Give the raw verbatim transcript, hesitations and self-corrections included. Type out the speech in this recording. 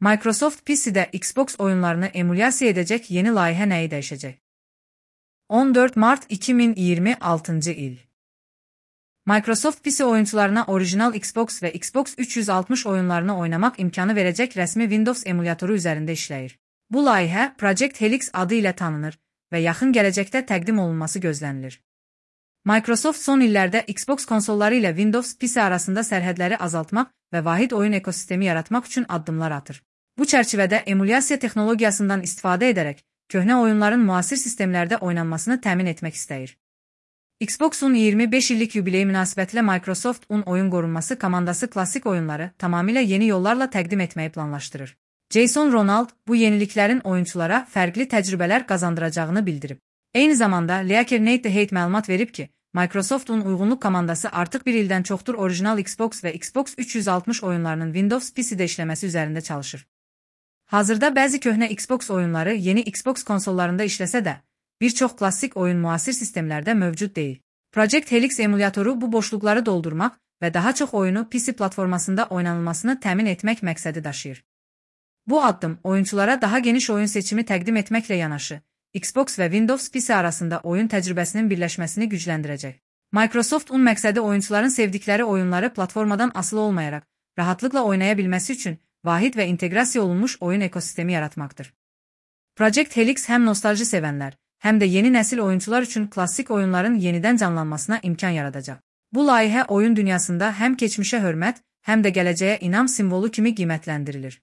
Microsoft P C'de Xbox oyunlarını emülyasiya edecek yeni layihə nəyi dəyişəcək? on dörd Mart iki min iyirmi altıncı il. Microsoft P C oyuncularına orijinal Xbox və Xbox üç yüz altmış oyunlarını oynamaq imkanı verəcək rəsmi Windows emülyatoru üzərində işləyir. Bu layihə Project Helix adı ilə tanınır və yaxın gələcəkdə təqdim olunması gözlənilir. Microsoft son illərdə Xbox konsolları ilə Windows P C arasında sərhədləri azaltmaq və vahid oyun ekosistemi yaratmaq üçün addımlar atır. Bu çərçivədə emülyasiya texnologiyasından istifadə edərək köhnə oyunların müasir sistemlərdə oynanmasını təmin etmək istəyir. Xbox'un iyirmi beş illik yubileyi münasibətilə Microsoft'un oyun qorunması komandası klassik oyunları tamamilə yeni yollarla təqdim etməyi planlaşdırır. Jason Ronald bu yeniliklərin oyunçulara fərqli təcrübələr qazandıracağını bildirib. Eyni zamanda Leaker Nate Hate məlumat verib ki, Microsoft'un uyğunluq komandası artıq bir ildən çoxdur orijinal Xbox və Xbox üç yüz altmış oyunlarının Windows P C'də işləməsi üzərində çalışır. Hazırda bəzi köhnə Xbox oyunları yeni Xbox konsollarında işləsə də, bir çox klassik oyun müasir sistemlərdə mövcud deyil. Project Helix emülyatoru bu boşluqları doldurmaq və daha çox oyunu P C platformasında oynanılmasını təmin etmək məqsədi daşıyır. Bu addım oyunçulara daha geniş oyun seçimi təqdim etməklə yanaşı, Xbox və Windows P C arasında oyun təcrübəsinin birləşməsini gücləndirəcək. Microsoft'un məqsədi oyunçuların sevdikləri oyunları platformadan asılı olmayaraq, rahatlıqla oynaya bilməsi üçün vahid və inteqrasiya olunmuş oyun ekosistemi yaratmaqdır. Project Helix həm nostalji sevənlər, həm də yeni nəsil oyuncular üçün klassik oyunların yenidən canlanmasına imkan yaradacaq. Bu layihə oyun dünyasında həm keçmişə hörmət, həm də gələcəyə inam simvolu kimi qiymətləndirilir.